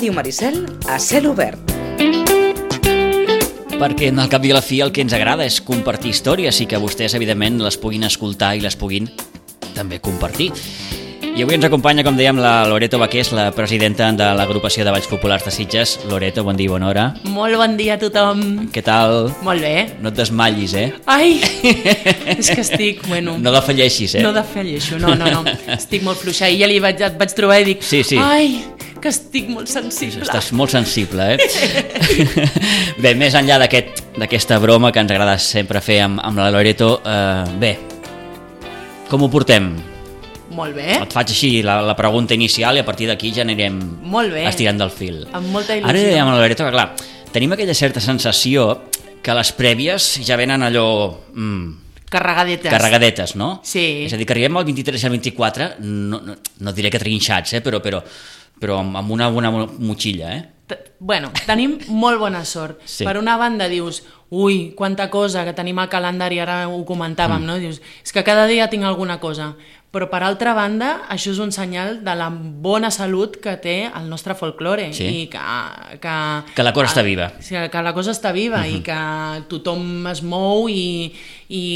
Ràdio Maricel a cel obert. Perquè al cap i a la fi el que ens agrada és compartir històries i que vostès, evidentment, les puguin escoltar i les puguin també compartir. I avui ens acompanya, com dèiem, la Loreto Baqués, la presidenta de l'agrupació de Balls Populars de Sitges. Loreto, bon dia i bona hora. Molt bon dia a tothom. Què tal? Molt bé. No et desmallis, eh? Ai, és que estic, bueno... No defalleixis, eh? No defalleixo, no. Estic molt fluixa. I ja et vaig trobar i dic... Sí. Ai, que estic molt sensible. Estàs molt sensible, eh? Bé, més enllà d'aquesta broma que ens agrada sempre fer amb la Loreto, bé, com ho portem? Molt bé. Et faig així la pregunta inicial i a partir d'aquí ja anirem estirant del fil. Amb molta il·lusió. Ara dèiem a la Loreto que, clar, tenim aquella certa sensació que les prèvies ja venen allò... Carregadetes, no? Sí. És a dir, que arribem al 23 i al 24, no diré que trinxats, però amb una bona motxilla, eh? Bueno, tenim molt bona sort. Sí. Per una banda dius, ui, quanta cosa que tenim al calendari, ara ho comentàvem, no? Dius, és que cada dia tinc alguna cosa. Però per altra banda, això és un senyal de la bona salut que té el nostre folklore. Sí. I que la cosa està viva. Sí, que la cosa està viva i que tothom es mou i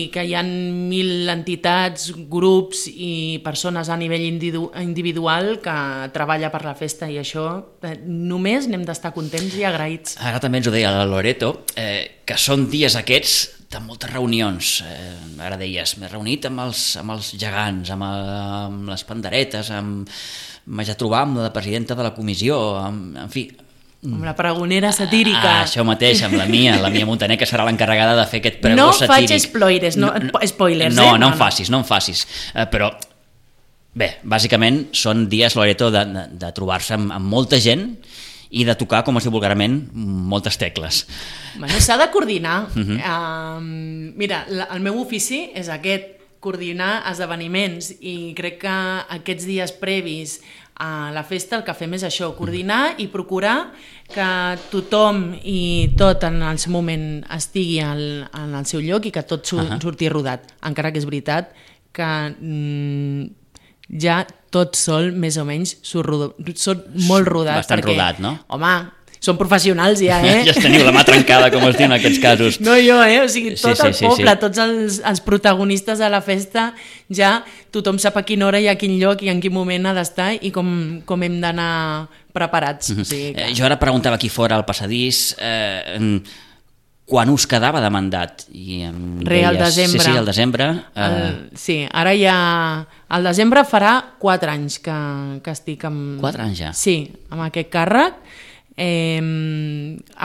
que hi ha 1.000 entitats, grups i persones a nivell individual que treballa per la festa i això només n'hem d'estar contents i agraïts. Ara també ens ho deia la Loreto, que són dies aquests de moltes reunions. Ara deies, m'he reunit amb els gegants, amb les panderetes, m'haig de trobar amb la presidenta de la comissió, en fi... Amb la pregonera satírica. Això mateix, amb la Mia Montaner, que serà l'encarregada de fer aquest pregó satíric. No faig spoilers, no en facis. Però, bé, bàsicament són dies, Loreto, de trobar-se amb molta gent i de tocar, com es diu vulgarment, moltes tecles. Bueno, s'ha de coordinar. Mira, el meu ofici és aquest, coordinar esdeveniments, i crec que aquests dies previs a la festa el que fem és això, coordinar i procurar que tothom i tot en el seu moment estigui en el seu lloc i que tot surti rodat. Encara que és veritat que ja tot sol, més o menys, són molt rodats. Bastant rodat, no? Home, són professionals ja, eh? Ja teniu la mà trencada, com es diu en aquests casos. No jo, o sigui, tot el poble, tots els protagonistes de la festa, ja tothom sap a quina hora i a quin lloc i en quin moment ha d'estar i com hem d'anar preparats. O sigui que... Jo ara preguntava aquí fora al passadís quan us quedava de mandat? Al desembre. Sí, al desembre. Sí, ara ja... Al desembre farà 4 anys que estic amb... 4 anys ja? Sí, amb aquest càrrec,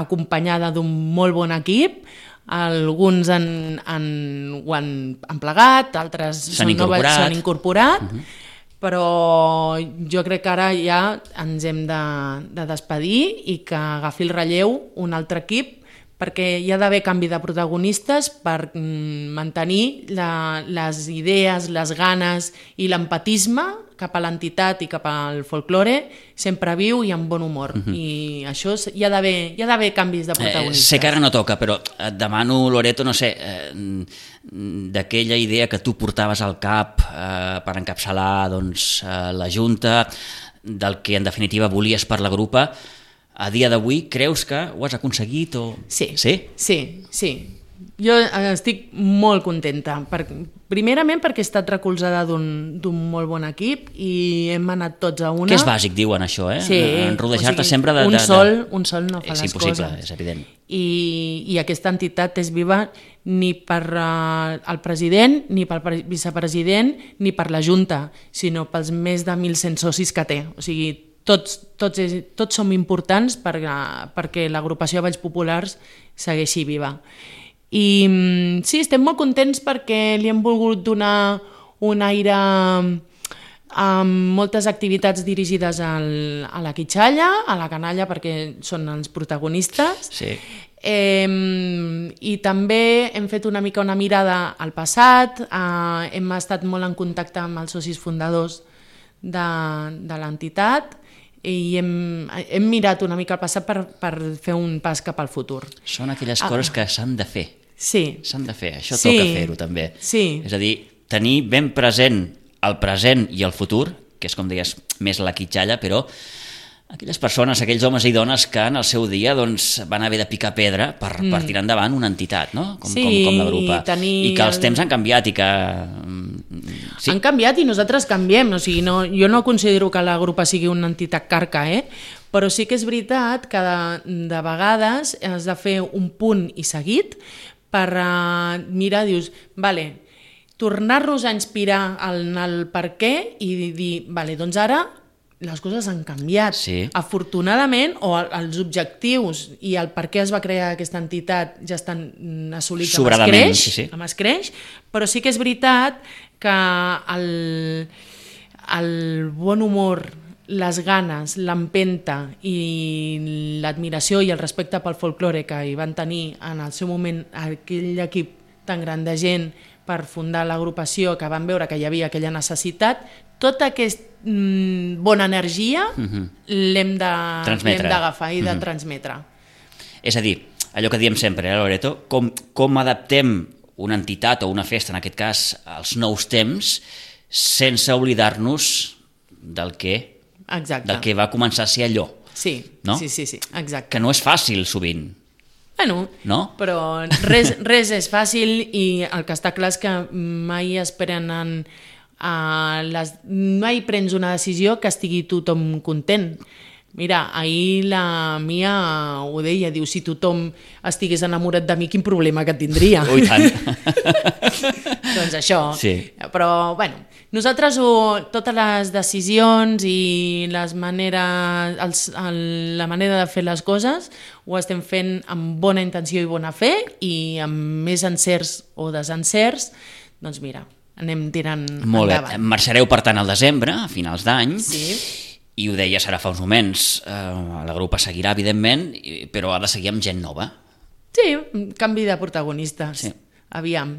acompanyada d'un molt bon equip. Alguns ho han plegat, altres s'han incorporat, però jo crec que ara ja ens hem de despedir i que agafi el relleu un altre equip, perquè hi ha d'haver canvi de protagonistes per mantenir les idees, les ganes i l'empatisme cap a l'entitat i cap al folklore sempre viu i amb bon humor. I això hi ha d'haver canvis de protagonistes. Sé que ara no toca, però et demano, Loreto, no sé, d'aquella idea que tu portaves al cap per encapçalar la Junta, del que en definitiva volies per la grupa, a dia d'avui creus que ho has aconseguit? Sí. Jo estic molt contenta. Primerament perquè he estat recolzada d'un molt bon equip i hem anat tots a una. Que és bàsic, diuen això, eh? Sí. Rodejar-te sempre de... Un sol no fa les coses. És impossible, és evident. I aquesta entitat és viva ni per el president, ni pel vicepresident, ni per la Junta, sinó pels més de 1.100 socis que té. O sigui, tots som importants perquè l'agrupació de Balls Populars segueixi viva. I sí, estem molt contents perquè li hem volgut donar un aire amb moltes activitats dirigides a la quitxalla, a la canalla, perquè són els protagonistes. Sí. I també hem fet una mica una mirada al passat, hem estat molt en contacte amb els socis fundadors de l'entitat i hem mirat una mica al passat per fer un pas cap al futur. Són aquelles coses que s'han de fer. Sí. S'han de fer, això toca fer-ho també. Sí. És a dir, tenir ben present el present i el futur, que és, com deies, més la quitxalla, però aquelles persones, aquells homes i dones que en el seu dia van haver de picar pedra per tirar endavant una entitat, no? Com la Grupa. I que els temps han canviat i que... Sí. Han canviat i nosaltres canviem. O sigui, jo no considero que la Grupa sigui una entitat carca, però sí que és veritat que de vegades has de fer un punt i seguit per mirar, dius, vale, tornar-nos a inspirar en el per què i dir, vale, doncs ara les coses han canviat. Sí. Afortunadament, o els objectius i el per què es va crear aquesta entitat ja estan assolits amb escreix, però sí que és veritat que el bon humor, les ganes, l'empenta i l'admiració i el respecte pel folklore que hi van tenir en el seu moment aquell equip tan gran de gent per fundar l'agrupació, que van veure que hi havia aquella necessitat, tota aquesta bona energia l'hem d'agafar i de transmetre. És a dir, allò que diem sempre, Loreto, com adaptem una entitat o una festa, en aquest cas, als nous temps, sense oblidar-nos del que va començar a ser allò. Sí, no? Sí, exacte. Que no és fàcil, sovint. Bueno, no? Però res és fàcil i el que està clar és que mai es prenen mai prens una decisió que estigui tothom content. Mira, ahir la Mia ho deia, diu, si tothom estigués enamorat de mi, quin problema que tindria? Ui, tant. Doncs això. Sí. Però, bueno, nosaltres totes les decisions i la manera de fer les coses ho estem fent amb bona intenció i bona fe i amb més encerts o desencerts, doncs mira, anem tirant endavant. Molt bé. Marxareu, per tant, al desembre, a finals d'any. Sí. I ho deies ara fa uns moments, la Grupa seguirà, evidentment, però ha de seguir amb gent nova. Sí, canvi de protagonistes. Sí. Aviam.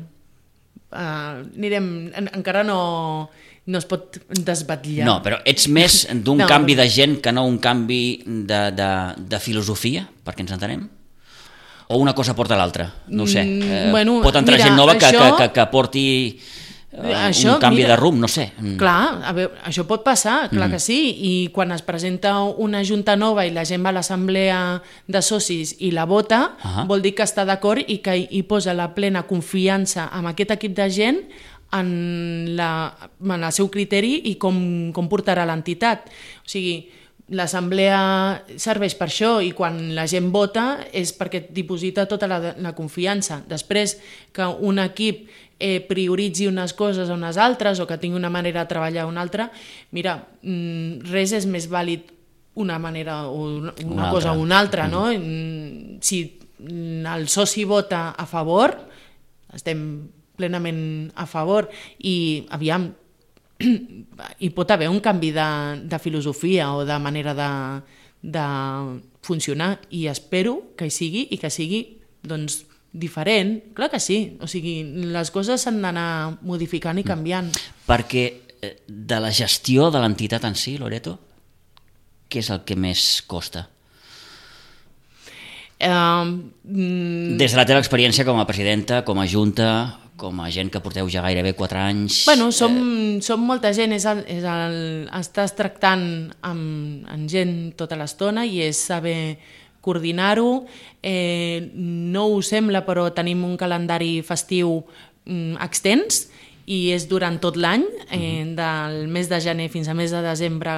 Anirem... Encara no es pot desbatllar. No, però ets més d'un canvi de gent que no un canvi de filosofia, perquè ens entenem? O una cosa porta l'altra? No ho sé. Pot entrar gent nova que porti... un canvi de rumb, no sé. Clar, a veure, això pot passar, clar que sí, i quan es presenta una junta nova i la gent va a l'assemblea de socis i la vota, vol dir que està d'acord i que hi posa la plena confiança en aquest equip de gent en el seu criteri i com portarà l'entitat. O sigui, l'assemblea serveix per això i quan la gent vota és perquè et diposita tota la confiança. Després que un equip prioritzi unes coses a unes altres o que tingui una manera de treballar a una altra, mira, res és més vàlid una manera o una cosa o una altra, no? Si el soci vota a favor, estem plenament a favor i aviam, hi pot haver un canvi de filosofia o de manera de funcionar i espero que hi sigui i que sigui doncs diferent, clar que sí, o sigui, les coses s'han d'anar modificant i canviant. Perquè de la gestió de l'entitat en si, Loreto, què és el que més costa? Des de la teva experiència com a presidenta, com a junta, com a gent que porteu ja gairebé 4 anys... Bueno, som molta gent, estàs tractant amb gent tota l'estona i és saber coordinar-ho. No ho sembla, però tenim un calendari festiu extens i és durant tot l'any, del mes de gener fins a mes de desembre,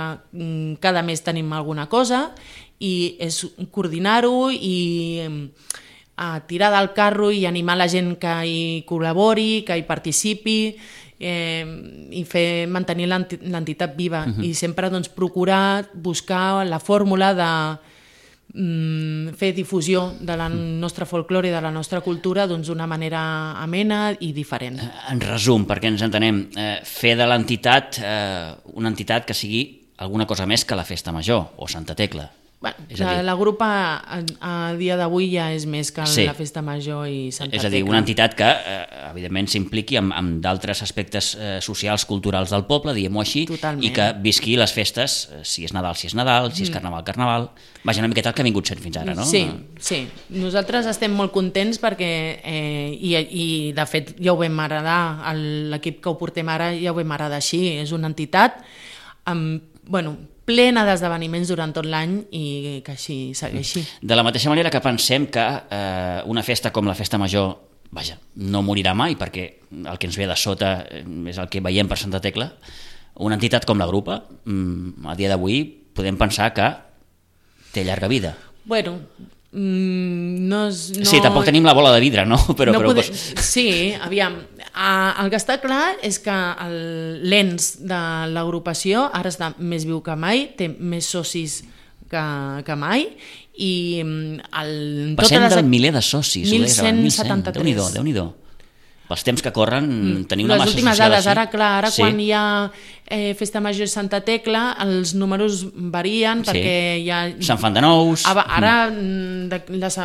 cada mes tenim alguna cosa i és coordinar-ho i tirar del carro i animar la gent que hi col·labori, que hi participi i mantenir l'entitat viva i sempre procurar buscar la fórmula de fer difusió de la nostra folklore i de la nostra cultura d'una manera amena i diferent. En resum, perquè ens entenem, fer de l'entitat una entitat que sigui alguna cosa més que la Festa Major o Santa Tecla. La Grupa a dia d'avui ja és més que la Festa Major i Santa Tecla. És a dir, una entitat que evidentment s'impliqui amb d'altres aspectes socials, culturals del poble, diguem-ho així, i que visqui les festes, si és Nadal, si és Nadal, si és Carnaval, Carnaval. Vaja, una miqueta el que ha vingut sent fins ara, no? Sí. Nosaltres estem molt contents perquè, i de fet ja ho vam heredar, l'equip que ho portem ara ja ho vam heredar així, és una entitat amb plena d'esdeveniments durant tot l'any i que així segueixi. De la mateixa manera que pensem que una festa com la Festa Major, vaja, no morirà mai, perquè el que ens ve de sota és el que veiem per Santa Tecla, una entitat com la Grupa, a dia d'avui podem pensar que té llarga vida. Bueno, no... Sí, tampoc tenim la bola de vidre, no? Sí, aviam, el que està clar és que l'ENS de l'agrupació ara està més viu que mai, té més socis que mai, i passem del miler de socis. 1173. Déu-n'hi-do. Pels temps que corren tenim una massa social. Les últimes dades, ara sí. Quan hi ha Festa Major Santa Tecla, els números varien perquè hi ha... Se'n fan de nous. Ara,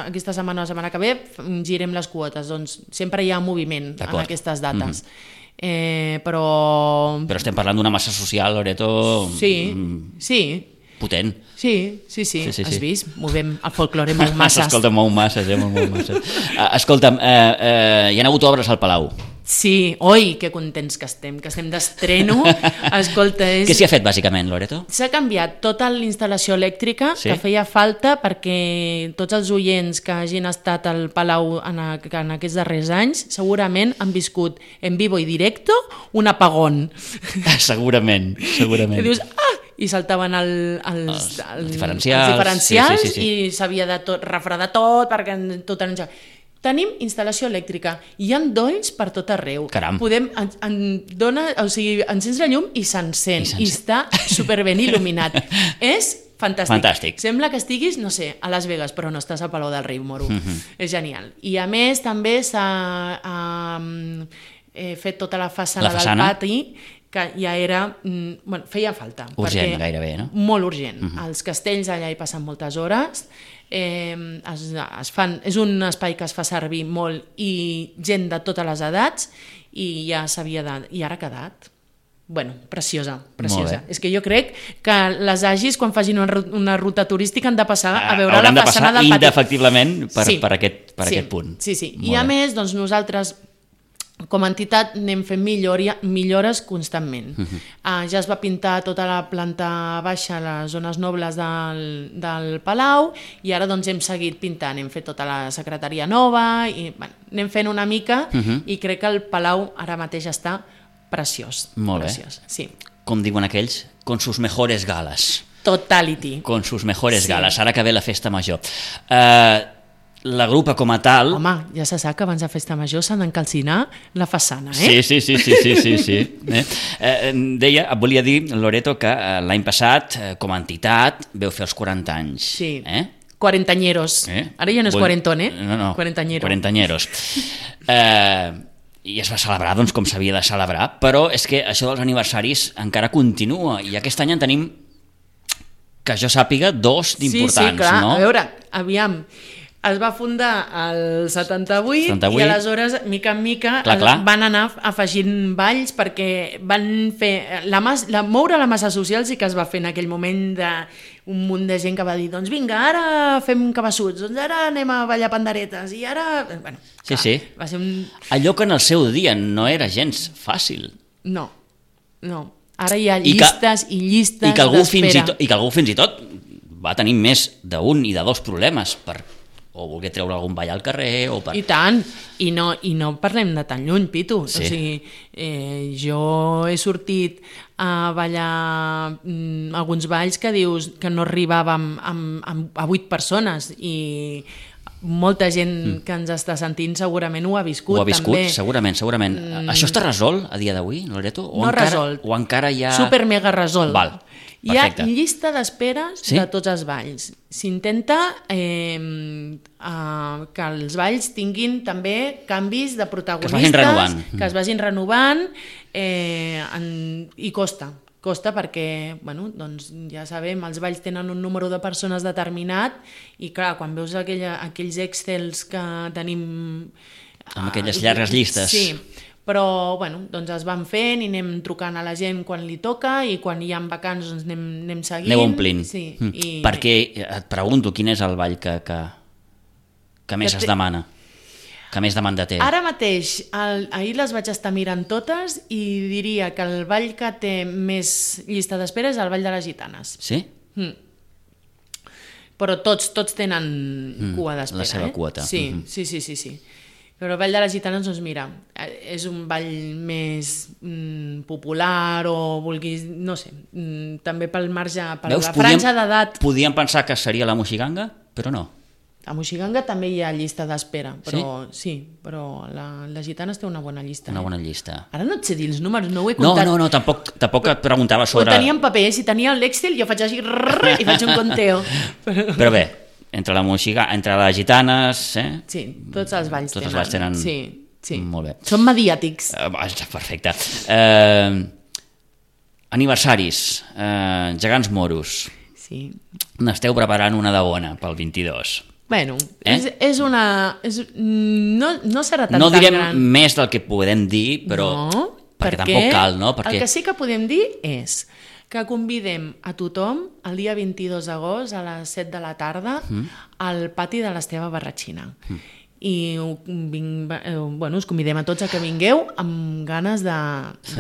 aquesta setmana o la setmana que ve, girem les quotes, doncs sempre hi ha moviment en aquestes dates. Però estem parlant d'una massa social, Loreto... Sí. Potent. Sí. Has vist? Movem el folklore mou masses. Escolta, mou masses, mou masses. Escolta'm, hi ha hagut obres al Palau. Sí, oi, que contents que estem d'estreno. Escolta, què s'hi ha fet, bàsicament, Loreto? S'ha canviat tota l'instal·lació elèctrica, que feia falta perquè tots els oients que hagin estat al Palau en aquests darrers anys segurament han viscut en vivo i directo un apagón. Segurament. I dius, i saltaven els diferencials sí. I s'havia de refredar tot perquè tot era... Tenim instal·lació elèctrica, hi ha dolls per tot arreu. Caram. Encens la llum i s'encén, i està superben il·luminat. És fantàstic. Sembla que estiguis, no sé, a Las Vegas, però no estàs a Palau del Riu, moro. És genial. I a més també s'ha fet tota la façana del pati, que ja era... feia falta. Urgent, gairebé, no? Molt urgent. Els castells allà hi passen moltes hores, és un espai que es fa servir molt i gent de totes les edats i ja s'havia de... I ara ha quedat... Bueno, preciosa. És que jo crec que les agis, quan facin una ruta turística, han de passar a veure la façana del pati. Indefectiblement per aquest punt. Sí. I a més, doncs nosaltres... Com a entitat anem fent millores constantment. Ja es va pintar tota la planta baixa, les zones nobles del Palau, i ara doncs hem seguit pintant, hem fet tota la secretaria nova, i anem fent una mica, i crec que el Palau ara mateix està preciós. Molt bé. Sí. Com diuen aquells, con sus mejores galas. Totality. Con sus mejores galas, ara que ve la Festa Major. La Grupa com a tal... Home, ja se sap que abans de Festa Major s'han d'encalcinar la façana, eh? Sí. Deia, et volia dir, Loreto, que l'any passat, com a entitat, veu fer els 40 anys. Sí, quarantanyeros. Ara ja no és quarantón, No, quarantanyeros. I es va celebrar doncs, com s'havia de celebrar, però és que això dels aniversaris encara continua, i aquest any en tenim, que jo sàpiga, 2 d'importants. Sí, clar, no? A veure, aviam... Es va fundar el 78 i aleshores, mica en mica, van anar afegint balls perquè van fer... Moure la massa social sí que es va fer en aquell moment d'un munt de gent que va dir doncs vinga, ara fem cabassuts, doncs ara anem a ballar panderetes i ara... Bueno, sí. Va ser un... Allò que en el seu dia no era gens fàcil. No. Ara hi ha llistes i llistes d'espera. I que algú fins i tot va tenir més d'un i de 2 problemes o voler treure algun ball al carrer I tant, i no parlem de tan lluny, Pitu. O sigui, jo he sortit a ballar alguns balls que dius que no arribàvem a 8 persones i molta gent que ens està sentint segurament ho ha viscut. Ho ha viscut, també. Segurament. Això està resolt a dia d'avui, Loreto? No resolt. O encara hi ha... Super mega resolt. Val. Perfecte. Hi ha llista d'esperes de tots els balls. S'intenta que els balls tinguin també canvis de protagonistes, que es vagin renovant i costa perquè, doncs ja sabem, els balls tenen un número de persones determinat i clar, quan veus aquells excels que tenim... Amb aquelles llargues llistes. Sí, però doncs es van fent i anem trucant a la gent quan li toca i quan hi ha vacants doncs anem seguint. Aneu omplint. Sí, perquè et pregunto quin és el ball que més es demana. Que més demanda té? Ara mateix, ahir les vaig estar mirant totes i diria que el ball que té més llista d'espera és el Ball de les Gitanes. Sí? Però tots tenen cua d'espera. La seva quota. Sí. Però el Ball de les Gitanes, doncs mira, és un ball més popular o vulguis, no sé, també pel marge, per la franja d'edat. Podíem pensar que seria la Moixiganga, però no. A Moixiganga també hi ha llista d'espera, però sí, però les Gitanes té una bona llista. Una bona llista. Ara no et sé dir els números, no ho he comptat. No, tampoc et preguntava sobre... Ho tenia en paper, si tenia l'Excel jo faig així i faig un conteo. Però bé, entre la Moixiganga, entre les Gitanes... Sí, tots els balls tenen. Tots els balls tenen... Sí. Molt bé. Són mediàtics. Perfecte. Aniversaris, gegants moros. Sí. N'esteu preparant una de bona pel 22. Bueno, és una... no serà tan gran. No direm més del que podem dir, però... No, perquè tampoc cal, no? El que sí que podem dir és que convidem a tothom el dia 22 d'agost a les 7 de la tarda al pati de l'Esteve Barratxina. I us convidem a tots a que vingueu amb ganes de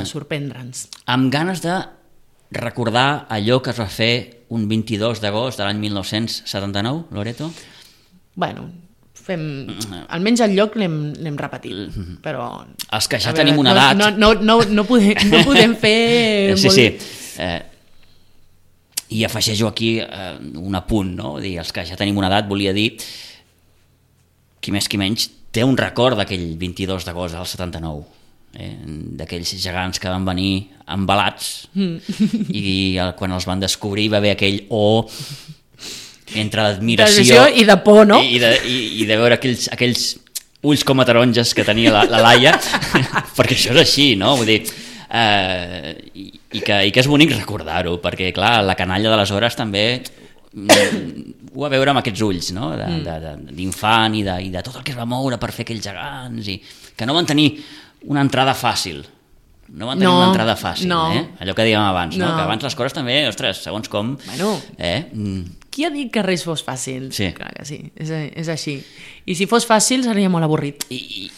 sorprendre'ns. Amb ganes de recordar allò que es va fer un 22 d'agost de l'any 1979, Loreto? Bueno, almenys el lloc l'hem repetit, però... Els que ja tenim una edat... No podem fer... Sí. I afegeixo aquí un apunt, no? Els que ja tenim una edat, volia dir, qui més qui menys, té un record d'aquell 22 d'agost del 79, d'aquells gegants que van venir embalats i quan els van descobrir va haver aquell entre l'admiració i de por, no? I de veure aquells ulls com a taronges que tenia la Laia, perquè això és així, no? Vull dir, i que és bonic recordar-ho, perquè clar, la canalla d'aleshores també ho va veure amb aquests ulls, no? D'infant i de tot el que es va moure per fer aquells gegants, i que no van tenir una entrada fàcil. No van tenir una entrada fàcil, allò que dèiem abans, no? Que abans les coses també, ostres, segons com... Qui ha dit que res fos fàcil? Sí. Clar que sí, és així. I si fos fàcil seria molt avorrit. I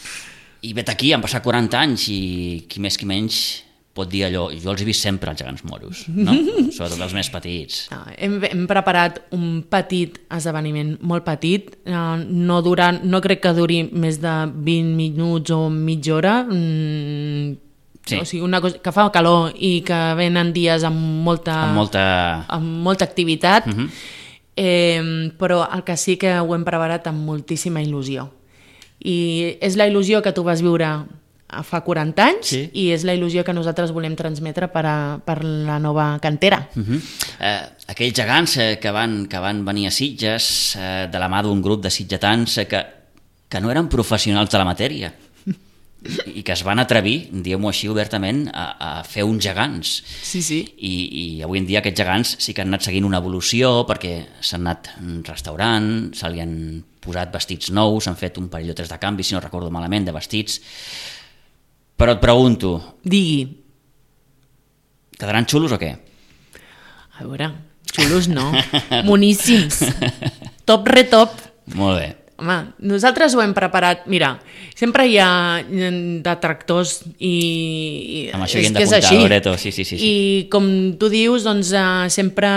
vet aquí, han passat 40 anys i qui més qui menys pot dir allò, jo els he vist sempre els gegants moros, no? Sobretot els més petits. Hem preparat un petit esdeveniment, molt petit, no crec que duri més de 20 minuts o mitja hora, sí. O sigui, una cosa que fa calor i que venen dies amb molta activitat, però el que sí que ho hem preparat amb moltíssima il·lusió. I és la il·lusió que tu vas viure fa 40 anys i és la il·lusió que nosaltres volem transmetre per la nova cantera. Aquells gegants que van venir a Sitges de la mà d'un grup de sitgetans que no eren professionals de la matèria i que es van atrevir, diguem-ho així obertament, a fer uns gegants. Sí. I avui en dia aquests gegants sí que han anat seguint una evolució perquè s'han anat restaurant, se li han posat vestits nous, han fet un parell o tres de canvis, si no recordo malament, de vestits. Però et pregunto... Digui. Quedaran xulos o què? A veure, xulos no. Moníssims. Top retop. Molt bé. Home, nosaltres ho hem preparat. Mira, sempre hi ha detractors i amb això hi hem d'apuntar, Loreto. Sí. I com tu dius, doncs sempre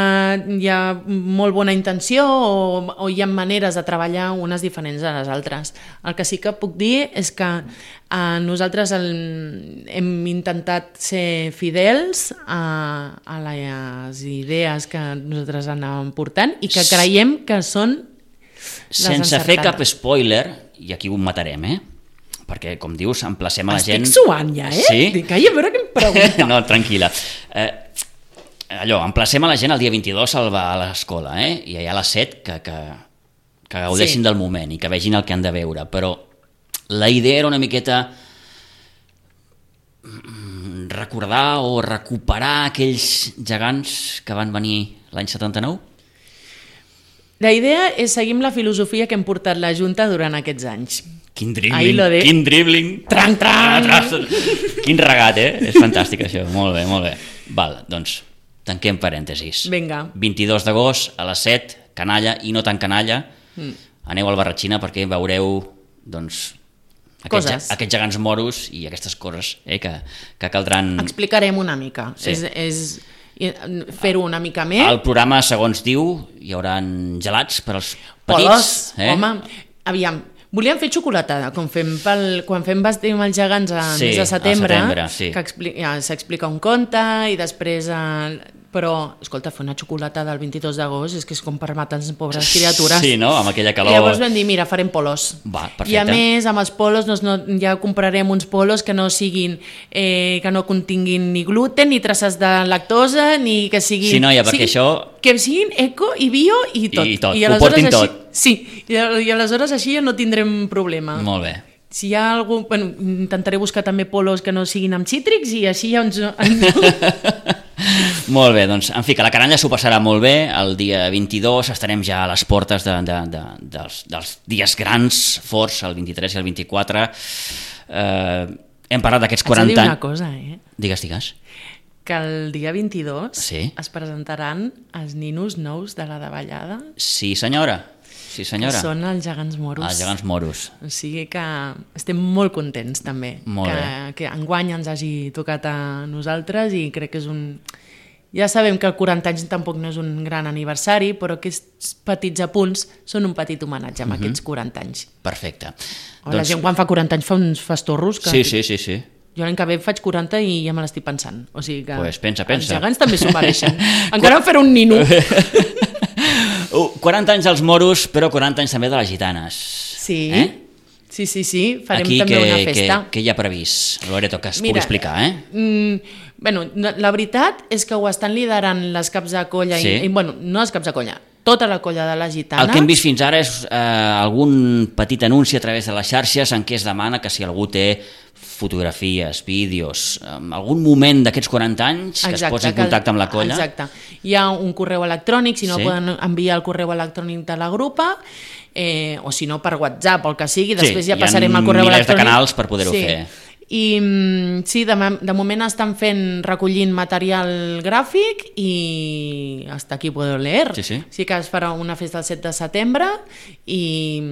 hi ha molt bona intenció o hi ha maneres de treballar unes diferents a les altres. El que sí que puc dir és que nosaltres hem intentat ser fidels a les idees que nosaltres anàvem portant i que creiem que són sense fer cap spoiler, i aquí ho matarem, perquè, com dius, emplacem a la gent... Estic suant ja, Sí? Calla, a veure què em pregunta. No, tranquil·la. Emplacem a la gent el dia 22 a l'escola, i allà a les 7 que gaudeixin del moment i que vegin el que han de veure, però la idea era una miqueta recordar o recuperar aquells gegants que van venir l'any 79? La idea és seguir la filosofia que hem portat la Junta durant aquests anys. Quin dribbling! Tran! Quin regat, És fantàstic això, molt bé. Val, doncs, tanquem parèntesis. Vinga. 22 d'agost a les 7, canalla i no tan canalla, aneu al Barratxina perquè veureu, doncs, Aquests gegants moros i aquestes coses que caldran... Explicarem una mica. Sí. És fer-ho una mica més. Al programa, segons diu, hi haurà gelats per als petits. Polos, home, aviam, volíem fer xocolatada, quan fem Vestim els gegants al mes de setembre, sí. que s'explica un conte i després... Però, escolta, fer una xocolata del 22 d'agost és que és com per matar les pobres criatures. Sí, no?, amb aquella calor. I llavors vam dir, mira, farem polos. Va, perfecte. I a més, amb els polos ja comprarem uns polos que no siguin, que no continguin ni gluten, ni traces de lactosa, ni que siguin... Sí, noia, perquè això... Que siguin eco i bio i tot. I tot, ho portin així, tot. Sí, i aleshores així ja no tindrem problema. Molt bé. Si hi ha algú... Bueno, intentaré buscar també polos que no siguin amb cítrics i així ja ens... Molt bé, doncs, en fi, que la canalla s'ho passarà molt bé. El dia 22 estarem ja a les portes dels dies grans, forts, el 23 i el 24. Hem parlat d'aquests 40 anys. Haig de dir una cosa, Digues. Que el dia 22 sí. Es presentaran els ninos nous de la davallada. Sí, senyora. Que són els gegants moros. Els gegants moros. O sigui que estem molt contents també que enguany ens hagi tocat a nosaltres i crec que és un... Ja sabem que el 40 anys tampoc no és un gran aniversari, però aquests petits apunts són un petit homenatge amb aquests 40 anys. Perfecte. La gent quan fa 40 anys fa uns fastorros que... Sí. Jo l'any que ve faig 40 i ja me l'estic pensant. O sigui que pensa. Els gegants també s'ho mereixen. Encara fer un nino. 40 anys als moros, però 40 anys també de les gitanes. Sí, sí, farem aquí també una festa. Què hi ha previst, Loreto, que es pugui explicar, Bueno, la veritat és que ho estan liderant les caps de colla, sí. Bueno, no les caps de colla, tota la colla de les gitanes. El que hem vist fins ara és algun petit anunci a través de les xarxes en què es demana que si algú té fotografies, vídeos, algun moment d'aquests 40 anys que es posi en contacte amb la colla. Exacte. Hi ha un correu electrònic, si no poden enviar el correu electrònic de la grupa, o si no per WhatsApp o el que sigui, després ja passarem al correu electrònic. Hi ha milers de canals per poder-ho fer. I sí, de moment estan recollint material gràfic i hasta aquí puedo leer. Sí que es farà una festa el 7 de setembre i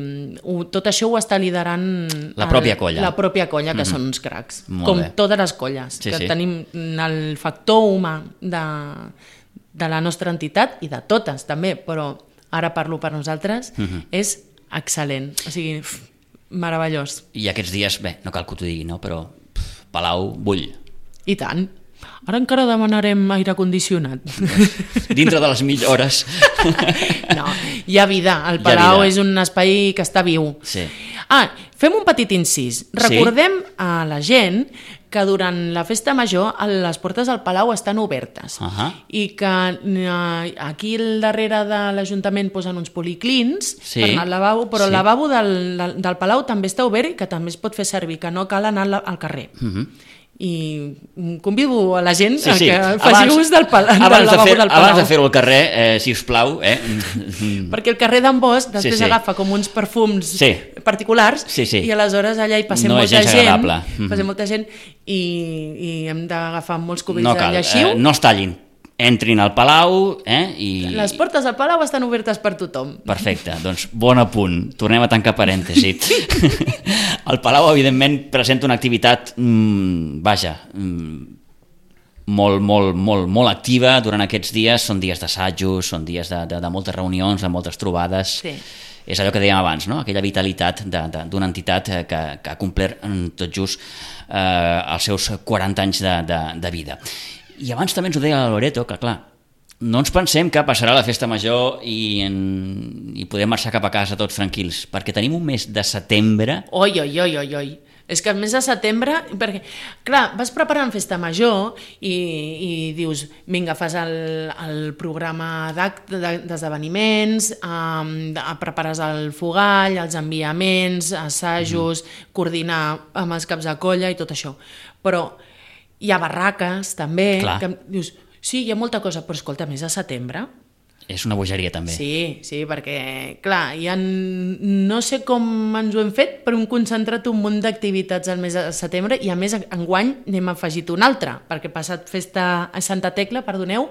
tot això ho està liderant la pròpia colla. La pròpia colla, que són uns cracs. Molt bé. Totes les colles, que tenim el factor humà de la nostra entitat i de totes també, però ara parlo per nosaltres, és excel·lent. O sigui... meravellós. I aquests dies, bé, no cal que t'ho digui, no? Però Palau bull. I tant. Ara encara demanarem aire condicionat. Dintre de les millores. No, hi ha vida. El Palau és un espai que està viu. Sí. Fem un petit incís. Recordem a la gent que durant la festa major les portes del Palau estan obertes i que aquí al darrere de l'Ajuntament posen uns policlins per anar al lavabo, però el lavabo del Palau també està obert i que també es pot fer servir, que no cal anar al carrer. I convido a la gent a que faci ús del lavabo del Palau. Abans de fer-ho al carrer, si us plau. Perquè el carrer d'en Bosch després agafa com uns perfums particulars i aleshores allà hi passem molta gent i hem d'agafar molts cubells de lleixiu. No es tallin. Entrin al Palau i... Les portes del Palau estan obertes per tothom. Perfecte, doncs bon apunt. Tornem a tancar parèntesi. El Palau, evidentment, presenta una activitat, molt activa durant aquests dies. Són dies d'assajos, són dies de moltes reunions, de moltes trobades. Sí. És allò que dèiem abans, no? Aquella vitalitat d'una entitat que ha complert tot just els seus 40 anys de vida. I abans també ens ho deia la Loreto, que clar, no ens pensem que passarà la festa major i podem marxar cap a casa tots tranquils, perquè tenim un mes de setembre... Oi. És que el mes de setembre, perquè, clar, vas preparant festa major i dius, vinga, fas el programa d'esdeveniments, prepares el fogall, els enviaments, assajos, coordinar amb els caps de colla i tot això. Però hi ha barraques, també, que dius, sí, hi ha molta cosa, però escolta, mes de setembre... És una bogeria, també. Sí, perquè, clar, no sé com ens ho hem fet, però hem concentrat un munt d'activitats al mes de setembre i, a més, enguany n'hem afegit una altra, perquè passat festa a Santa Tecla, perdoneu,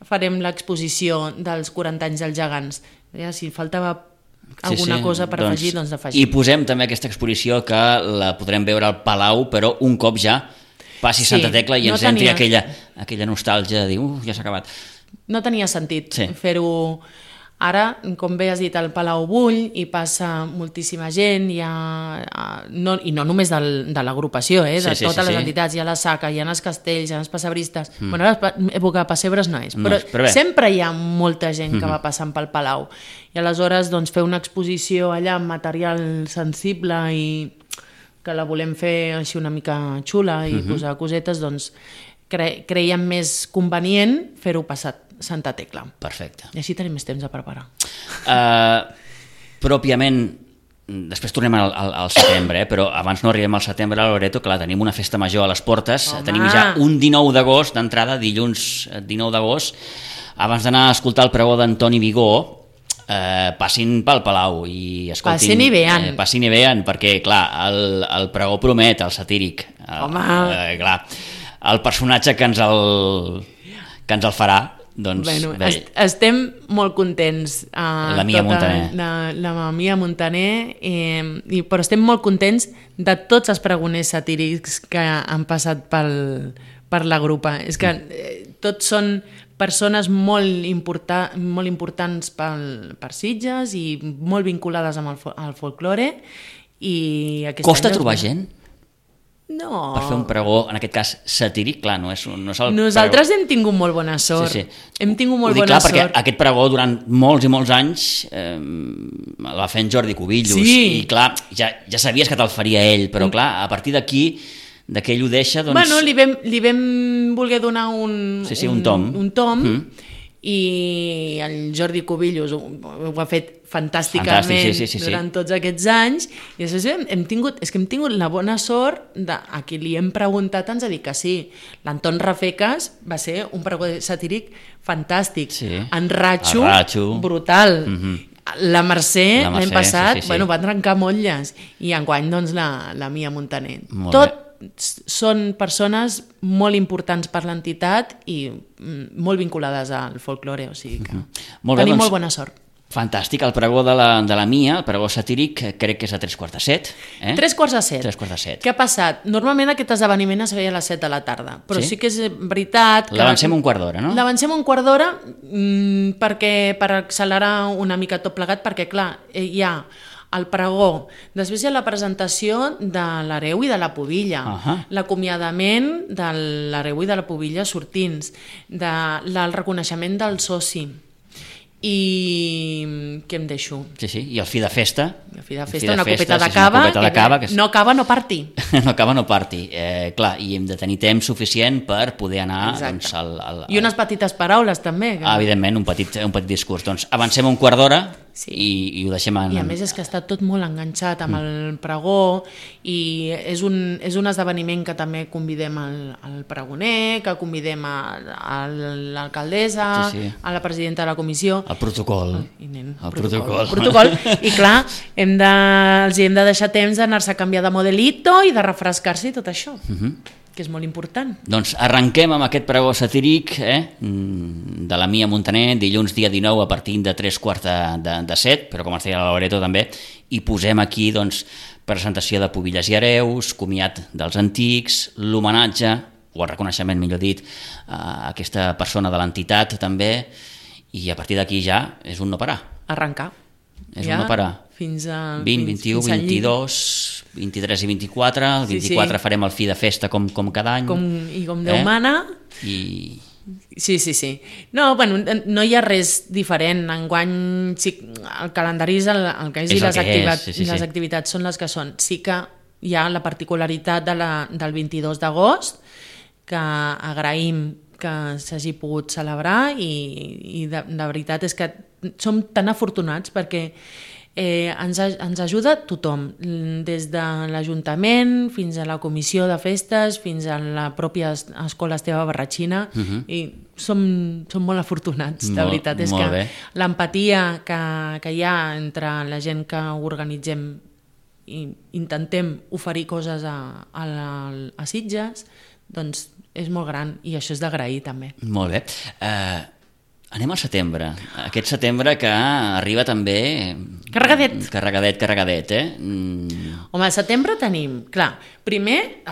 farem l'exposició dels 40 anys dels gegants. Ja, si faltava alguna cosa per afegir, doncs d'afegir. I posem també aquesta exposició que la podrem veure al Palau, però un cop ja passi Santa Tecla i ens entri aquella nostàlgia de dir, ja s'ha acabat. No tenia sentit fer-ho. Ara, com bé has dit, el Palau bull i passa moltíssima gent, i no només de l'agrupació, de totes les entitats, hi ha la Saca, hi ha els castells, hi ha els passebristes. Bueno, ara època de pessebres no és, però sempre hi ha molta gent que va passant pel Palau. I aleshores fer una exposició allà amb material sensible i que la volem fer així una mica xula i posar cosetes, doncs creiem més convenient fer-ho passat Santa Tecla. Perfecte. I així tenim més temps a preparar. Pròpiament, després tornem al setembre, però abans no arribem al setembre a Loreto, clar, tenim una festa major a les portes. Tenim ja un 19 d'agost d'entrada, dilluns 19 d'agost. Abans d'anar a escoltar el pregó d'Antoni Vigó, passin pel Palau i escoltin... Passin i vean, perquè, clar, el pregó promet, el satíric. Clar, el personatge que ens el farà, doncs... Estem molt contents. La Mia Montaner. La Mia Montaner, però estem molt contents de tots els pregoners satírics que han passat per la grupa. És que tots són persones molt importants per Sitges i molt vinculades amb el folklore. Costa trobar gent? No. Per fer un pregó, en aquest cas satíric, clar, no és el Nosaltres hem tingut molt bona sort. Hem tingut molt bona sort. Perquè aquest pregó durant molts i molts anys el va fer en Jordi Cubillos, i clar, ja sabies que te'l faria ell, però clar, a partir d'aquí, que ell ho deixa, doncs... Bueno, li vam voler donar un tom, i el Jordi Cubillos ho ha fet fantàsticament durant tots aquests anys, i després hem tingut la bona sort a qui li hem preguntat ens ha dit que sí. L'Anton Rafecas va ser un pregó satíric fantàstic, en Ratxo brutal, la Mercè l'any passat va trencar motlles, i enguany doncs la Mia Montaner. Tot són persones molt importants per l'entitat i molt vinculades al folklore, o sigui que tenim molt bona sort. Fantàstic, el pregó de la Mia, el pregó satíric, crec que és a 3:45. 3:45. Què ha passat? Normalment aquest esdeveniment es feia a les 7 de la tarda, però sí que és veritat que... L'avancem un quart d'hora, no? L'avancem un quart d'hora per accelerar una mica tot plegat, perquè clar, hi ha el pregó, després hi ha la presentació de l'hereu i de la pubilla, l'acomiadament de l'hereu i de la pubilla sortints, el reconeixement del soci, i què em deixo? I el fi de festa. Una copeta de cava, no cava no parti. No cava no parti. Clar, i hem de tenir temps suficient per poder anar... I unes petites paraules també. Evidentment, un petit discurs. Doncs avancem un quart d'hora i ho deixem en... I a més és que està tot molt enganxat amb el pregó, i és un esdeveniment que també convidem al pregoner, que convidem a l'alcaldessa, a la presidenta de la comissió. El protocol. El protocol. I clar, els hem de deixar temps d'anar-se a canviar de modelito i de refrescar-se i tot això, que és molt important. Doncs arrenquem amb aquest pregó satíric de la Mia Montaner, dilluns dia 19 a partir de 6:45, però com ens deia la Loreto també, i posem aquí doncs presentació de pubilles i hereus, comiat dels antics, l'homenatge, o el reconeixement millor dit, a aquesta persona de l'entitat també, i a partir d'aquí ja és un no parar. Arrencar. És un no parar. Fins a 20, 21, 22, 23 i 24. El 24 farem el fi de festa com cada any. Com Déu mana. Sí. No, bueno, no hi ha res diferent. Enguany el calendari és el que és, i les activitats són les que són. Sí que hi ha la particularitat del 22 d'agost, que agraïm que s'hagi pogut celebrar, i de veritat és que som tan afortunats perquè ens ajuda tothom, des de l'Ajuntament fins a la comissió de festes, fins a la pròpia Escola Esteve Barratxina, i som molt afortunats, de veritat. És que l'empatia que hi ha entre la gent que organitzem i intentem oferir coses a Sitges, doncs és molt gran, i això és d'agrair també. Molt bé. Anem al setembre. Aquest setembre que arriba també... Carregadet, Home, al setembre tenim, clar, primer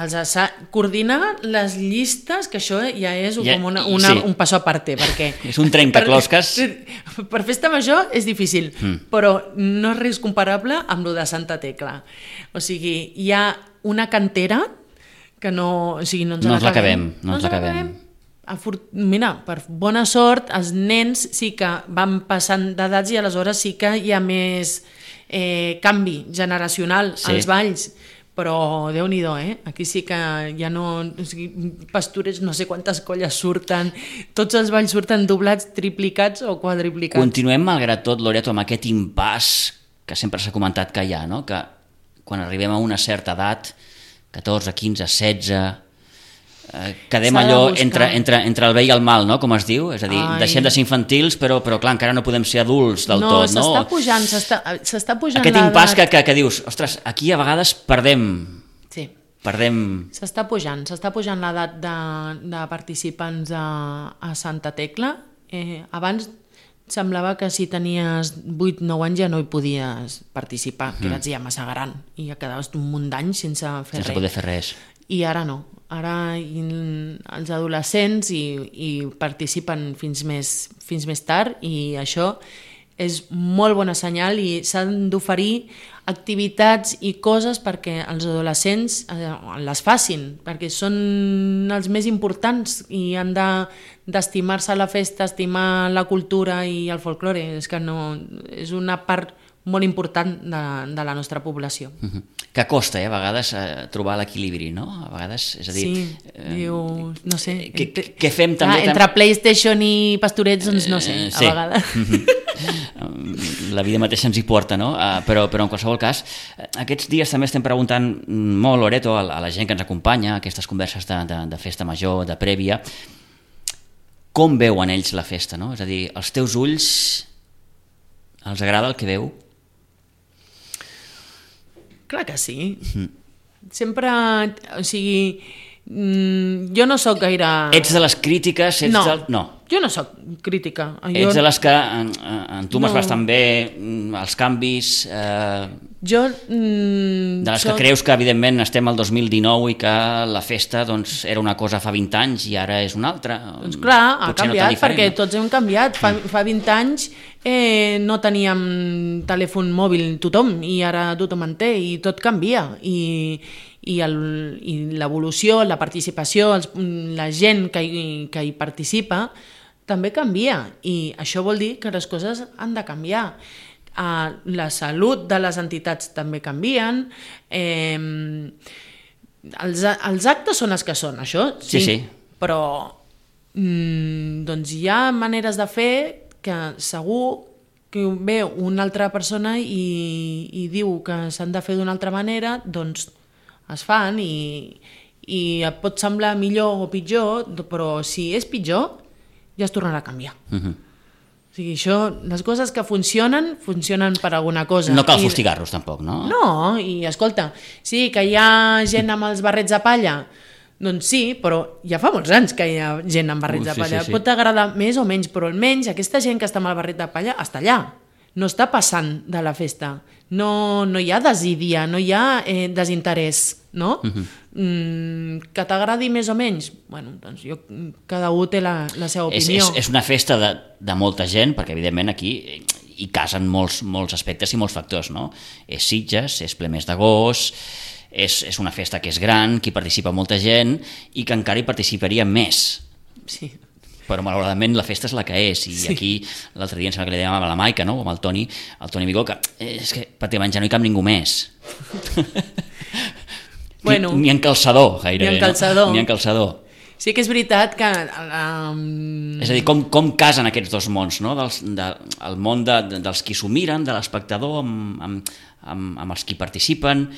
coordinar les llistes, que això ja és com un passo a parte, perquè... És un trencaclosques. Per festa major és difícil, però no és res comparable amb lo de Santa Tecla. O sigui, hi ha una cantera que no ens l'acabem. No ens l'acabem. Mira, per bona sort, els nens sí que van passant d'edats i aleshores sí que hi ha més canvi generacional als balls, però Déu-n'hi-do, aquí sí que ja no... O sigui, pastorets, no sé quantes colles surten, tots els balls surten doblats, triplicats o quadriplicats. Continuem, malgrat tot, Loreto, amb aquest impàs que sempre s'ha comentat que hi ha, no? Que quan arribem a una certa edat, 14, 15, 16... quedem allò entre el bé i el mal, no? Com es diu, és a dir, deixem de ser infantils però clar, encara no podem ser adults del tot, no? S'està pujant aquest impàs que dius, ostres, aquí a vegades perdem. S'està pujant l'edat de participants a Santa Tecla. Abans semblava que si tenies 8-9 anys ja no hi podies participar, que eres ja massa gran i ja quedaves un munt d'anys sense poder fer res. I ara no. Ara els adolescents hi participen fins més tard i això és molt bona senyal i s'han d'oferir activitats i coses perquè els adolescents les facin, perquè són els més importants i han d'estimar-se la festa, estimar la cultura i el folklore. És una part molt important de la nostra població. Que costa, a vegades, trobar l'equilibri, no? A vegades, és a dir... Sí, no sé... Què fem també... Entre PlayStation i pastorets, doncs no sé, a vegades. La vida mateixa ens hi porta, no? Però en qualsevol cas, aquests dies també estem preguntant molt, Loreto, a la gent que ens acompanya, a aquestes converses de festa major, de prèvia, com veuen ells la festa, no? És a dir, als teus ulls els agrada el que veu? Clar que sí. Sempre, o sigui, jo no sóc gaire... Ets de les crítiques? No, jo no sóc crítica. Ets de les que entumes bastant bé els canvis... de les que creus que, evidentment, estem al 2019 i que la festa era una cosa fa 20 anys i ara és una altra. Doncs clar, ha canviat, perquè tots hem canviat. Fa 20 anys no teníem telèfon mòbil tothom i ara tothom en té i tot canvia. I l'evolució, la participació, la gent que hi participa també canvia i això vol dir que les coses han de canviar. La salut de les entitats també canvien, els actes són els que són, això sí. Però doncs hi ha maneres de fer que segur que ve una altra persona i diu que s'han de fer d'una altra manera, doncs es fan i et pot semblar millor o pitjor, però si és pitjor ja es tornarà a canviar. O sigui, les coses que funcionen per alguna cosa. No cal fustigar-los tampoc, no? No, i escolta, sí, que hi ha gent amb els barrets de palla, doncs sí, però ja fa molts anys que hi ha gent amb barrets de palla. Sí. Pot agradar més o menys, però almenys aquesta gent que està amb el barret de palla està allà, no està passant de la festa. No hi ha desídia, no hi ha desinterès, no? Que t'agradi més o menys, bueno, doncs cada un té la seva opinió. És una festa de molta gent, perquè evidentment aquí hi casen molts aspectes i molts factors, no? És Sitges, és ple mes d'agost, és una festa que és gran, que hi participa molta gent i que encara hi participaria més. Sí. Però malauradament la festa és la que és i aquí l'altre dia em sembla que li dèiem a la Maica, no? O amb el Toni Vigó, que és que pràcticament ja no hi cap ningú més. Bueno, ni en calçador gairebé, ni en calçador. Sí que és veritat que... És a dir, com casen aquests dos mons, no? El món dels qui s'ho miren, de l'espectador amb els qui participen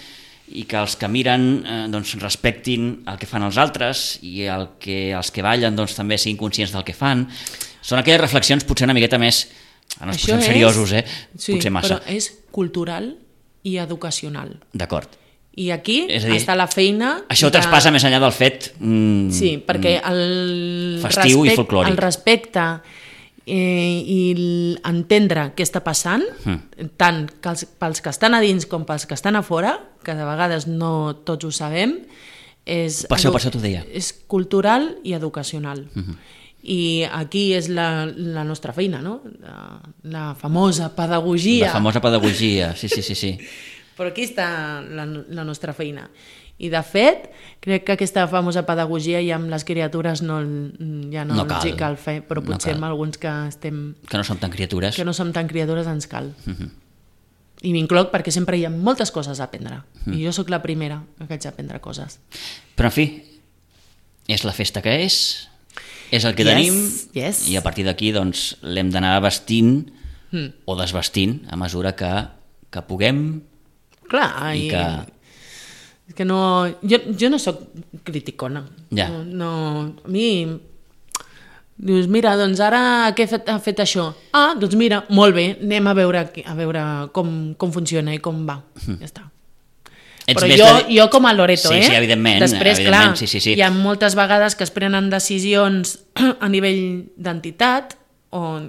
i que els que miren doncs, respectin el que fan els altres i els que ballen doncs, també siguin conscients del que fan. Són aquelles reflexions potser una miqueta més... No ens posem seriosos, sí, potser massa. Però és cultural i educacional. D'acord. I aquí està la feina... Això traspassa més enllà del fet sí, perquè el festiu i folclòric. El respecte i entendre què està passant, tant pels que estan a dins com pels que estan a fora, que de vegades no tots ho sabem, per això t'ho deia. És cultural i educacional. I aquí és la nostra feina, no? La famosa pedagogia. La famosa pedagogia, sí. Però aquí està la nostra feina. I de fet, crec que aquesta famosa pedagogia ja amb les criatures ja no els hi cal fer, però potser amb alguns que estem... Que no som tan criatures. Que no som tan criatures ens cal. I m'incloc perquè sempre hi ha moltes coses a aprendre. I jo sóc la primera que haig d'aprendre coses. Però en fi, és la festa que és el que tenim, i a partir d'aquí doncs, l'hem d'anar vestint o desvestint a mesura que puguem. Clar, i que... És que no... Jo no sóc criticona. Ja. No, a mi... Dius, mira, doncs ara què ha fet això? Ah, doncs mira, molt bé, anem a veure com funciona i com va. Ja està. Però jo com a Loreto, sí, evidentment. Després, clar, hi ha moltes vegades que es prenen decisions a nivell d'entitat o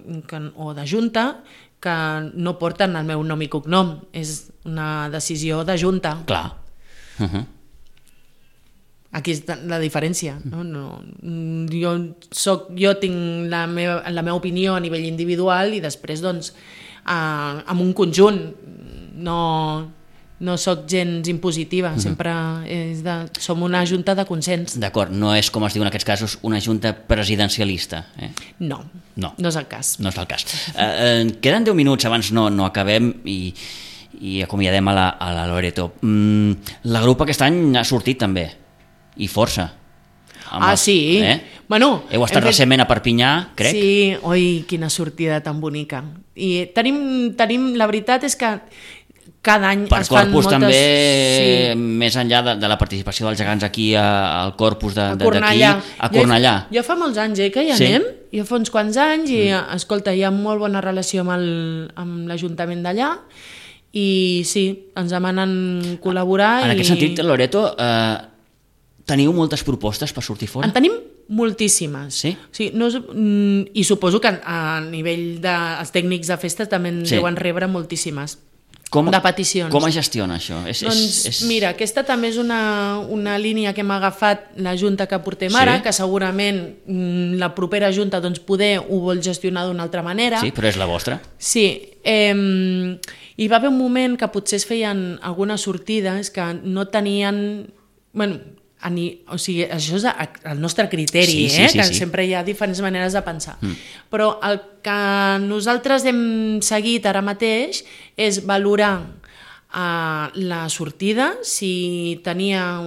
de junta que no porten el meu nom i cognom. És una decisió de junta. Clar. Aquí és la diferència. Jo tinc la meva opinió a nivell individual i després, doncs, amb un conjunt. No soc gens impositiva, sempre som una junta de consens. D'acord, no és, com es diu en aquests casos, una junta presidencialista. No és el cas. No és el cas. Queden 10 minuts, abans no acabem i acomiadem a la Loreto. La grup aquest any ha sortit també, i força. Sí? Bueno, heu estat recentment a Perpinyà, crec? Sí, oi, quina sortida tan bonica. I tenim, la veritat és que cada any es fan moltes... Per Corpus també, més enllà de la participació dels gegants aquí al Corpus d'aquí, a Cornellà. Jo fa molts anys que hi anem, jo fa uns quants anys, i escolta, hi ha molt bona relació amb l'Ajuntament d'allà, i sí, ens demanen col·laborar. En aquest sentit, Loreto, teniu moltes propostes per sortir fora? En tenim moltíssimes. Sí? I suposo que a nivell dels tècnics de festes també en deuen rebre moltíssimes de peticions. Com es gestiona això? Mira, aquesta també és una línia que hem agafat la junta que portem ara, que segurament la propera junta poder ho vol gestionar d'una altra manera. Sí, però és la vostra? Sí. Hi va haver un moment que potser es feien algunes sortides que no tenien... O sigui, això és el nostre criteri, que sempre hi ha diferents maneres de pensar. Però el que nosaltres hem seguit ara mateix és valorar la sortida, si tenia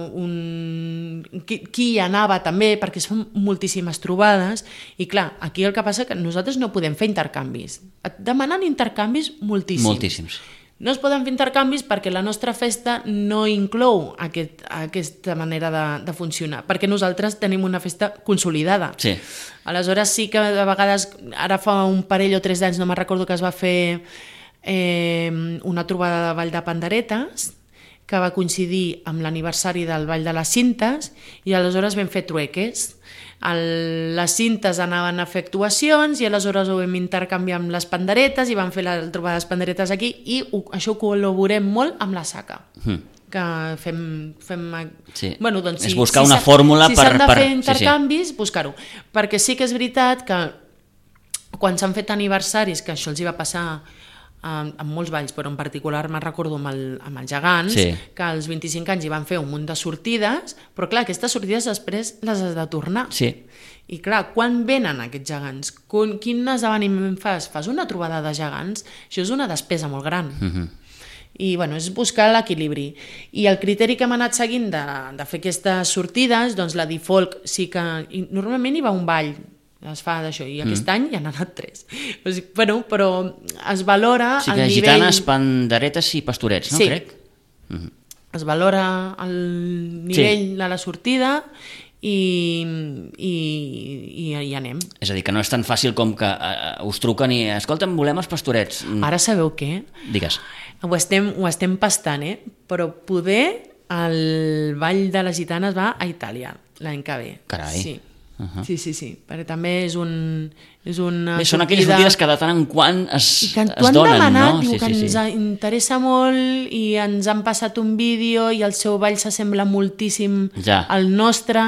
qui hi anava també, perquè es fan moltíssimes trobades, i clar, aquí el que passa és que nosaltres no podem fer intercanvis. Et demanen intercanvis moltíssims. No es poden fer intercanvis perquè la nostra festa no inclou aquesta manera de funcionar, perquè nosaltres tenim una festa consolidada. Sí. Aleshores sí que de vegades, ara fa un parell o 3 d'anys, no me'n recordo, que es va fer una trobada de Vall de Panderetes, que va coincidir amb l'aniversari del Vall de les Cintes, i aleshores vam fer trueques. Les cintes anaven a fer actuacions i aleshores ho vam intercanviar amb les panderetes i vam fer la trobada de les panderetes aquí, i això ho col·laborem molt amb la SACA, que fem... És buscar una fórmula per... Si s'han de fer intercanvis, buscar-ho. Perquè sí que és veritat que quan s'han fet aniversaris, que això els hi va passar amb molts balls, però en particular me'n recordo amb els gegants, que als 25 anys hi van fer un munt de sortides, però clar, aquestes sortides després les has de tornar. Sí. I clar, quan venen aquests gegants? Quin esdeveniment fas? Fas una trobada de gegants? Això és una despesa molt gran. I bueno, és buscar l'equilibri. I el criteri que hem anat seguint de fer aquestes sortides, doncs la Difolk sí que... Normalment hi va un ball, es fa d'això, i aquest any hi han anat 3. Bueno, però es valora el nivell... Gitanes, panderetes i pastorets, no? Crec? Es valora el nivell de la sortida i hi anem. És a dir, que no és tan fàcil com que us truquen i escolta'm, volem els pastorets. Ara sabeu què? Digues. Ho estem pastant, però poder el Ball de les Gitanes va a Itàlia l'any que ve. Carai. Sí. Sí, perquè també és una Bé, són aquelles sortides que de tant en quant es donen, demanat, no? Diu que ens interessa molt i ens han passat un vídeo i el seu ball s'assembla moltíssim al nostre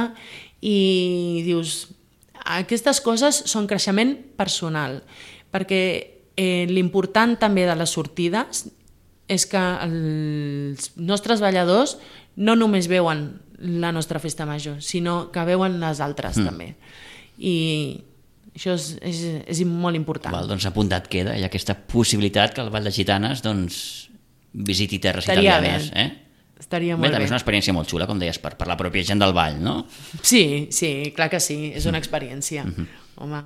i dius, aquestes coses són creixement personal, perquè l'important també de les sortides és que els nostres balladors no només veuen la nostra festa major, sinó que veuen les altres també. I això és molt important. Val, doncs apuntat queda, hi ha aquesta possibilitat que el Ball de Gitanes visiti terres italianes. Estaria molt bé. També és una experiència molt xula, com deies, per la pròpia gent del ball, no? Sí, clar que sí, és una experiència. Home.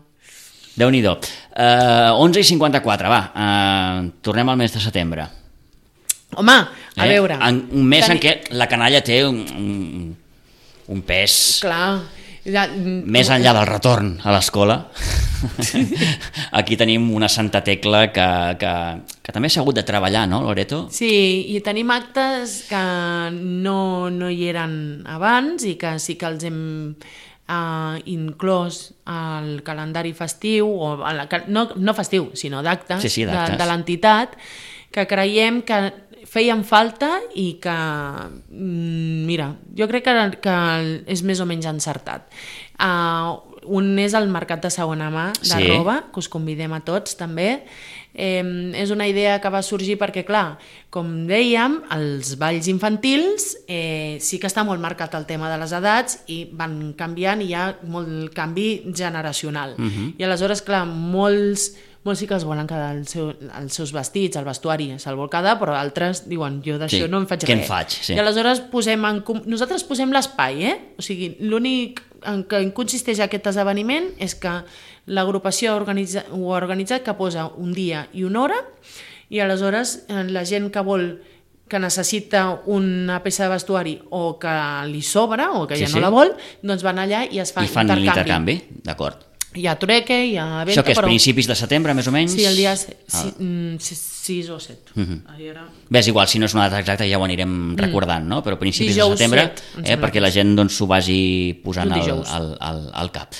Déu-n'hi-do. 11:54, va, tornem al mes de setembre. Home, a veure... Un mes en què la canalla té un pes... Clar. Més enllà del retorn a l'escola, aquí tenim una Santa Tecla que també s'ha hagut de treballar, no, Loreto? Sí, i tenim actes que no hi eren abans i que sí que els hem inclòs al calendari festiu, no festiu, sinó d'actes de l'entitat, que creiem que feien falta i que, mira, jo crec que és més o menys encertat. Un és el mercat de segona mà de roba, que us convidem a tots també. És una idea que va sorgir perquè, clar, com dèiem, els balls infantils sí que està molt marcat el tema de les edats i van canviant i hi ha molt canvi generacional. I aleshores, clar, molts sí que es volen quedar els seus vestits, el vestuari se'l vol quedar, però altres diuen, jo d'això no en faig res. Què en faig? I aleshores nosaltres posem l'espai, o sigui, l'únic en què consisteix aquest esdeveniment és que l'agrupació ho ha organitzat que posa un dia i una hora i aleshores la gent que necessita una peça de vestuari o que li sobra o que ja no la vol, doncs van allà i es fa intercanvi. I fan l'intercanvi, d'acord. Hi ha trueque, hi ha venda... Això que és principis de setembre, més o menys? Sí, el dia 6 o 7. Bé, és igual, si no és una data exacta ja ho anirem recordant, no? Però principis de setembre, perquè la gent s'ho vagi posant al cap.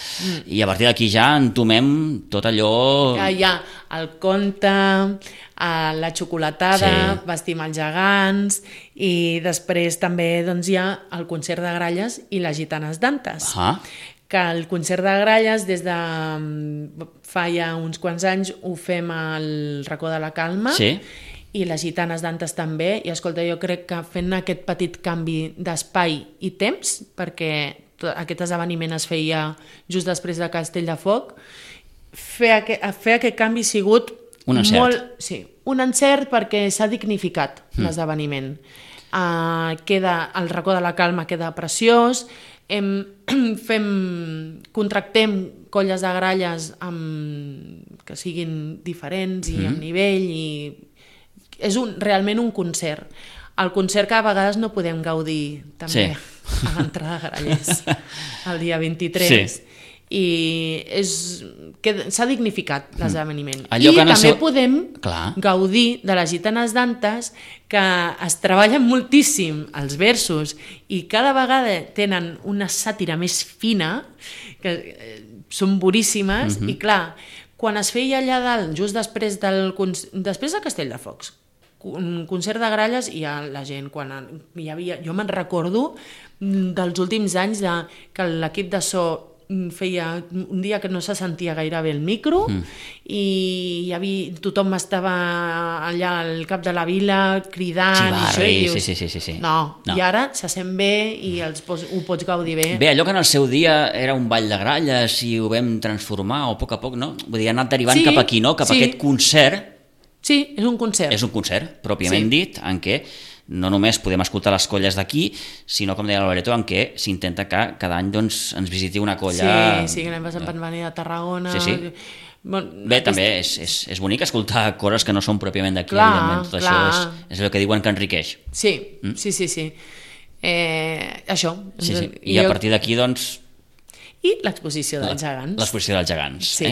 I a partir d'aquí ja entomem tot allò... Hi ha el conte, la xocolatada, vestim els gegants, i després també hi ha el concert de gralles i les gitanes d'Antes. Que el concert de gralles des de fa ja uns quants anys ho fem al Racó de la Calma i les gitanes d'Antes també, i escolta, jo crec que fent aquest petit canvi d'espai i temps, perquè aquest esdeveniment es feia just després de Castelldefels, fer aquest canvi ha sigut un encert. Un encert perquè s'ha dignificat l'esdeveniment. El Racó de la Calma queda preciós, contractem colles de gralles que siguin diferents i amb nivell, i és realment un concert. El concert que a vegades no podem gaudir també a l'entrada de Grallers el dia 23 i s'ha dignificat l'esdeveniment. I també podem gaudir de les gitanes d'Antes, que es treballen moltíssim els versos i cada vegada tenen una sàtira més fina, que són boníssimes, i clar, quan es feia allà dalt, just després de Castelldefels, un concert de gralles, i la gent, quan hi havia, jo me'n recordo dels últims anys que l'equip de so feia un dia que no se sentia gaire bé el micro i tothom estava allà al cap de la vila cridant i dius, no, i ara se sent bé i ho pots gaudir bé. Bé, allò que en el seu dia era un ball de gralles i ho vam transformar a poc, no? Vull dir, ha anat derivant cap aquí, no? Cap a aquest concert. Sí, és un concert. És un concert, pròpiament dit, en què no només podem escoltar les colles d'aquí, sinó, com deia Loreto, en què s'intenta que cada any ens visiti una colla... Sí, que l'any passat van venir de Tarragona... Bé, també és bonic escoltar coses que no són pròpiament d'aquí, evidentment. Tot això és el que diuen que enriqueix. Sí. Això. I a partir d'aquí, doncs... I l'exposició dels gegants. L'exposició dels gegants.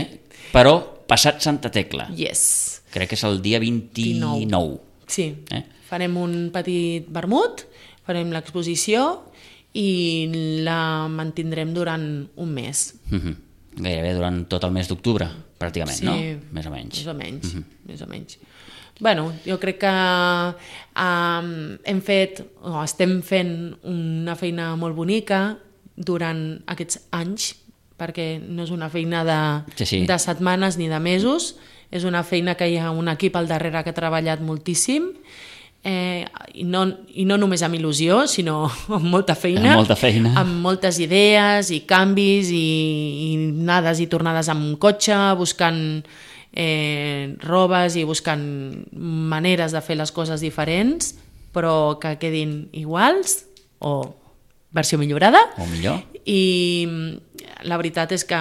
Però passat Santa Tecla. Yes. Crec que és el dia 29. Sí. Farem un petit vermut, farem l'exposició i la mantindrem durant un mes. Gairebé durant tot el mes d'octubre, pràcticament, Sí, no? Més o menys. Més o menys. Bueno, jo crec que estem fent una feina molt bonica durant aquests anys, perquè no és una feina de setmanes ni de mesos, és una feina que hi ha un equip al darrere que ha treballat moltíssim, i no només amb il·lusió, sinó amb molta feina, amb moltes idees i canvis i anades i tornades amb cotxe, buscant robes i buscant maneres de fer les coses diferents, però que quedin iguals o versió millorada. O millor. I la veritat és que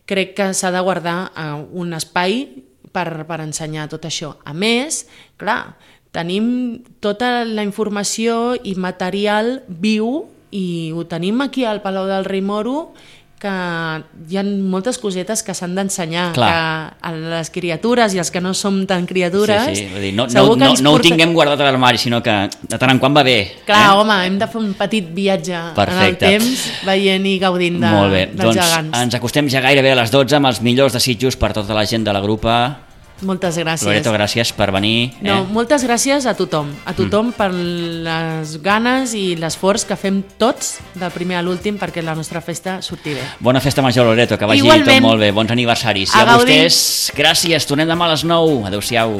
crec que s'ha de guardar un espai per ensenyar tot això. A més, clar, tenim tota la informació i material viu i ho tenim aquí al Palau del Rei Moro, que hi ha moltes cosetes que s'han d'ensenyar, que a les criatures i els que no som tan criatures... Vull dir, no ho tinguem guardat a l'armari, sinó que de tant en quant va bé. Clar, home, hem de fer un petit viatge en el temps, veient i gaudint dels gegants. Ens acostem ja gairebé a les 12 amb els millors desitjos per tota la gent de la grupa. Moltes gràcies. Loreto, gràcies per venir. Moltes gràcies a tothom per les ganes i l'esforç que fem tots del primer a l'últim perquè la nostra festa surti bé. Bona festa major, Loreto, que vagi tot molt bé. Bons aniversaris. I a vostès, gràcies. Tornem demà a les 9. Adéu-siau.